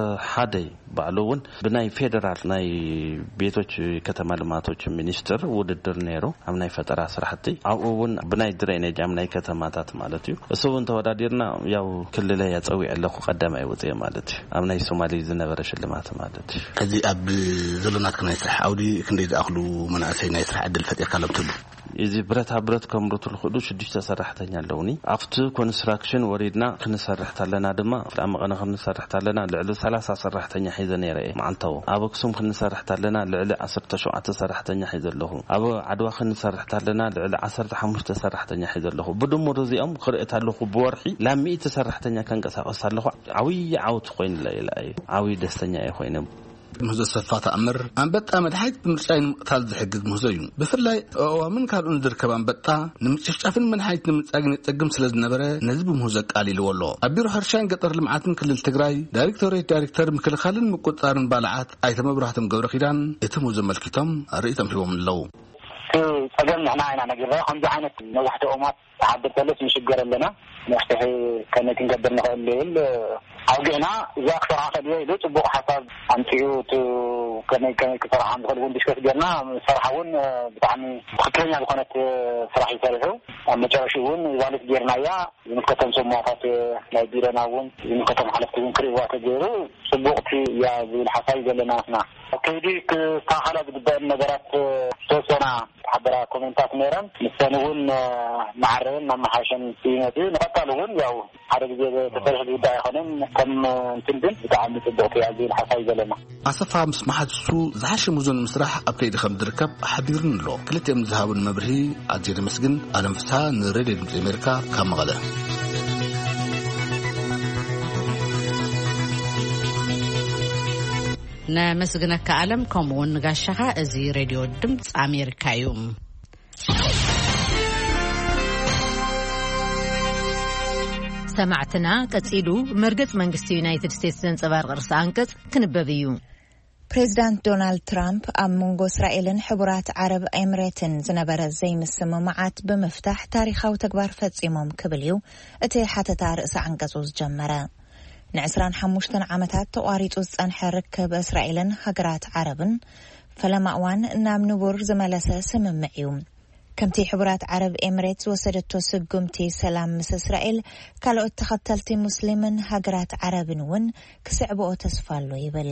ባዕሉ እውን ብናይ ፌዴራል ናይ ቤቶች ከተማ ልማቶች ሚኒስትር ውድድር ነይሩ ኣብ ናይ ፈጠራ ስራሕቲ። ኣብኡ እውን ብናይ ድሬኔጅ ኣብ ናይ ከተማታት ማለት እዩ። እሱ እውን ተወዳዲርና ያው ክልለይ ኣፀዊዐ ኣለኹ ቀዳማይ ወፅኤ ማለት እዩ። ኣብ ናይ ሶማሌ ዝነበረ ሽልማት ማለት እዩ። ሕዚ ኣብ ዘሎ ናትካ ናይ ስራሕ ዓውዲ ክንደይ ዝኣኽሉ መናእሰይ ናይ ስራሕ ዕድል ፈጢርካሎም ትህሉ? እዚ ብረታ ብረት ከምርቱ ዝኽእሉ ሽዱሽተ ሰራሕተኛ ኣለውኒ። ኣብቲ ኮንስትራክሽን ወሪድና ክንሰርሕ ኣለና ድማ ኣብ መቐነ ክንሰርሕ ኣለና ልዕሊ 30 ሰራሕተኛ ሒዘ ነይረ እየ መዓልታዊ። ኣብ ኣክሱም ክንሰርሕ ኣለና ልዕሊ 17 ሰራሕተኛ ሒዘ ኣለኹ። ኣብ ዓድዋ ክንሰርሕ ኣለና ልዕሊ 15 ሰራሕተኛ ሒዘ ኣለኹ። ብድምሩ እዚኦም ክርኢ ኣለኹ ብወርሒ ላብ ሚእቲ ሰራሕተኛ ከንቀሳቀስ ኣለኹ። ዓብዪ ዓወት ኮይኑለ ኢለ እየ። ዓብዪ ደስተኛ እየ ኮይነ። ምህዞ ሰፋ ተኣምር ኣንበጣ መድሓኒት ብምርጫይ ንምቕታል ዝሕግዝ ምህዞ እዩ። ብፍላይ ኣእዋምን ካልኡን ዝርከብ ኣንበጣ ንምጭፍጫፍን መድሓኒት ንምርጫ ግን የጸግም ስለ ዝነበረ ነዚ ብምህዞ ኣቃሊልዎ ኣሎ። ኣብ ቢሮ ሕርሻን ገጠር ልምዓትን ክልል ትግራይ ዳይሬክቶሬት ዳይሬክተር ምክልኻልን ምቁጽጻርን ባልዓት ኣይተ መብራህቶም ገብረ ኪዳን እቲ ምህዞ ኣመልኪቶም ርእይቶም ሂቦም ኣለዉ። እቲ ጸገም ንሕና ኢና ነጊርናዮ። ከምዚ ዓይነት ነዋሕቲ ኦማት ተሓድር ከሎስ ንሽገር ኣለና። መፍትሒ ከመይ ክንገብር ንኽእል ዝብል ኣውጊዕና እዚኣ ክሰርሓ ከድዮ ኢሉ ጽቡቕ ሓሳብ ኣምጺኡ፣ እቲ ከመይ ከመይ ክሰርሓ ከም ዝኽእል እውን ዲስከስ ጌርና። ምስ ሰርሓ እውን ብጣዕሚ ትኽክለኛ ዝኾነት ስራሕ እዩ ሰሪሑ። ኣብ መጨረሽኡ እውን ቫሊድ ጌርናያ። ዝምልከቶም ሰሙናታት ናይ ቢሮና እውን ዝምልከቶም ሓለፍቲ እውን ክርእይዋ ተገይሩ ጽቡቕቲ እያ ዝብል ሓሳብ እዩ ዘለና። ንሕና ኣብ ከይዲ ክስተኻኸላ ዝግበአን ነገራት ዝተወሰና ሓበራ ኮሜንታት ነይረን። ንሰን እውን መዓረየን መመሓየሸን ይመጽእ። ንቐጻሊ እውን ያው ሓደ ግዜ ተሰሪሑ ዝውዳእ ኣይኮነን። ከም እንትን ግን ብጣዕሚ ጽቡቕቲ እያ ዝብል ሓሳብ እዩ ዘለና። ኣሰፋ ምስ መሓዙቱ ዝሓሸ ሙዞ ንምስራሕ ኣብ ከይዲ ከም ዝርከብ ሓቢሩኒ ኣሎ። ክልቲኦም ዝሃቡን መብርሂ ኣዝየ ደመስግን። ኣለም ፍስሃ ንሬድዮ ድምፂ ኣሜሪካ ካብ መቐለ። ነመስግነካ ኣለም፣ ከምኡ እውን ንጋሻኻ። እዚ ሬድዮ ድምፂ ኣሜሪካ እዩ። ሰማዕትና፣ ቀጺሉ መርገጽ መንግስቲ ዩናይትድ ስቴትስ ዘንጸባርቕ ርእሰ ኣንቀጽ ክንበብ እዩ። ፕሬዚዳንት ዶናልድ ትራምፕ ኣብ መንጎ እስራኤልን ሕቡራት ዓረብ ኤምሬትን ዝነበረ ዘይምስምማዓት ብምፍታሕ ታሪኻዊ ተግባር ፈጺሞም ክብል እዩ እቲ ሓተታ ርእሰ ዓንቀጹ ዝጀመረ። ን25 ዓመታት ተቋሪጹ ዝጸንሐ ርክብ እስራኤልን ሃገራት ዓረብን ፈለማ እዋን ናብ ንቡር ዝመለሰ ስምምዕ እዩ። ከምቲ ሕቡራት ዓረብ ኤምሬት ዝወሰደቶ ስጉምቲ ሰላም ምስ እስራኤል፣ ካልኦት ተኸተልቲ ሙስሊምን ሃገራት ዓረብን እውን ክስዕብኦ ተስፋ ኣሎ ይብል።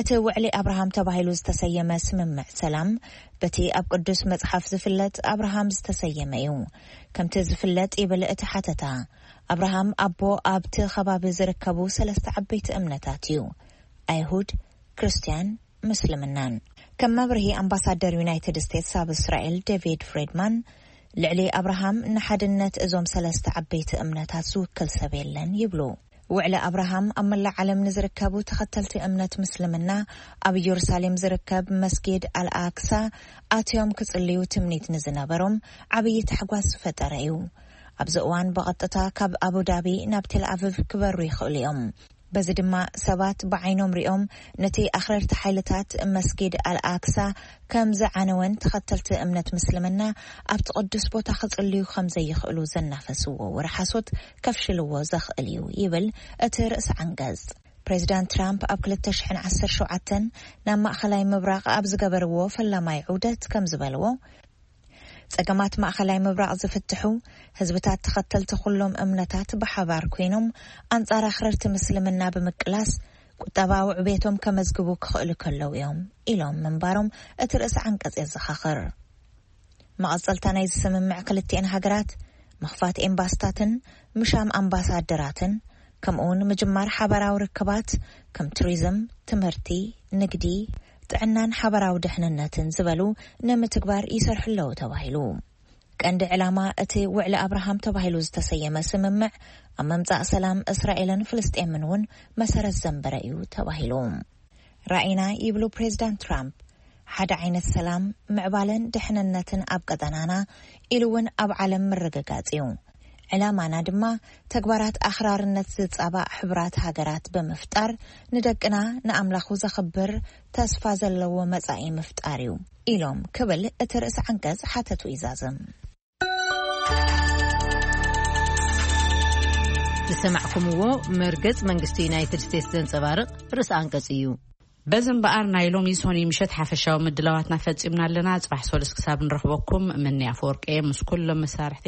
እቲ ውዕሊ ኣብርሃም ተባሂሉ ዝተሰየመ ስምምዕ ሰላም፣ በቲ ኣብ ቅዱስ መጽሓፍ ዝፍለጥ ኣብርሃም ዝተሰየመ እዩ። ከምቲ ዝፍለጥ ይብል እቲ ሓተታ፣ ኣብርሃም ኣቦ ኣብቲ ከባቢ ዝርከቡ ሰለስተ ዓበይቲ እምነታት እዩ። ኣይሁድ፣ ክርስትያን፣ ምስልምናን። ከም መብርሂ ኣምባሳደር ዩናይትድ ስቴትስ ኣብ እስራኤል ዴቪድ ፍሬድማን፣ ልዕሊ ኣብርሃም ንሓድነት እዞም ሰለስተ ዓበይቲ እምነታት ዝውክል ሰብ የለን ይብሉ። ውዕሊ ኣብርሃም ኣብ መላእ ዓለም ንዝርከቡ ተኸተልቲ እምነት ምስልምና ኣብ ኢየሩሳሌም ዝርከብ መስጊድ ኣልኣክሳ ኣትዮም ክጽልዩ ትምኒት ንዝነበሮም ዓብዪ ታሕጓስ ዝፈጠረ እዩ። ኣብዚ እዋን ብቐጥታ ካብ ኣቡዳቢ ናብ ቴል ኣቪቭ ክበሩ ይኽእሉ እዮም። በዚ ድማ ሰባት ብዓይኖም ሪኦም ነቲ ኣኽረርቲ ሓይልታት መስጊድ ኣልኣክሳ ከም ዝዓነወን ተኸተልቲ እምነት ምስልምና ኣብቲ ቅዱስ ቦታ ክጽልዩ ከም ዘይኽእሉ ዘናፈስዎ ወረ ሓሶት ከፍሽልዎ ዘኽእል እዩ ይብል እቲ ርእሲ ዓንቀጽ። ፕሬዚዳንት ትራምፕ ኣብ 2017 ናብ ማእኸላይ ምብራቕ ኣብ ዝገበርዎ ፈላማይ ዑደት ከም ዝበልዎ፣ ጸገማት ማእኸላይ ምብራቕ ዝፍትሑ፣ ህዝብታት ተኸተልቲ ኩሎም እምነታት ብሓባር ኮይኖም ኣንጻር ኣኽረርቲ ምስልምና ብምቅላስ ቁጠባዊ ዕቤቶም ከመዝግቡ ክኽእሉ ከለዉ እዮም ኢሎም ምንባሮም እቲ ርእሲ ዓንቀጽ የዘኻኽር። መቐጸልታ ናይዚ ስምምዕ ክልቲኤን ሃገራት ምኽፋት ኤምባስታትን ምሻም ኣምባሳደራትን፣ ከምኡውን ምጅማር ሓባራዊ ርክባት ከም ቱሪዝም፣ ትምህርቲ፣ ንግዲ፣ ጥዕናን ሓባራዊ ድሕንነትን ዝበሉ ንምትግባር ይሰርሑ ኣለዉ ተባሂሉ። ቀንዲ ዕላማ እቲ ውዕሊ ኣብርሃም ተባሂሉ ዝተሰየመ ስምምዕ ኣብ ምምጻእ ሰላም እስራኤልን ፍልስጤምን እውን መሰረት ዘንበረ እዩ ተባሂሉ። ራኢና ይብሉ ፕሬዚዳንት ትራምፕ፣ ሓደ ዓይነት ሰላም፣ ምዕባለን ድሕንነትን ኣብ ቀጠናና ኢሉ እውን ኣብ ዓለም ምርግጋጽ እዩ። ዕላማና ድማ ተግባራት ኣኽራርነት ዝጻባእ ሕቡራት ሃገራት ብምፍጣር፣ ንደቅና ንኣምላኹ ዘኽብር ተስፋ ዘለዎ መጻኢ ምፍጣር እዩ ኢሎም ክብል እቲ ርእሲ ዓንቀጽ ሓተቱ ይዛዝም። ዝሰማዕኩምዎ መርገጽ መንግስቲ ዩናይትድ ስቴትስ ዘንጸባርቕ ርእሲ ኣንቀጽ እዩ። በዚ እምበኣር ናይ ሎሚ ሶኒ ምሸት ሓፈሻዊ ምድላዋትና ፈጺምና ኣለና። ጽባሕ ሶሉስ ክሳብ ንረኽበኩም፣ ምኒ ኣፈወርቂ ምስ ኩሎም መሳርሕቲ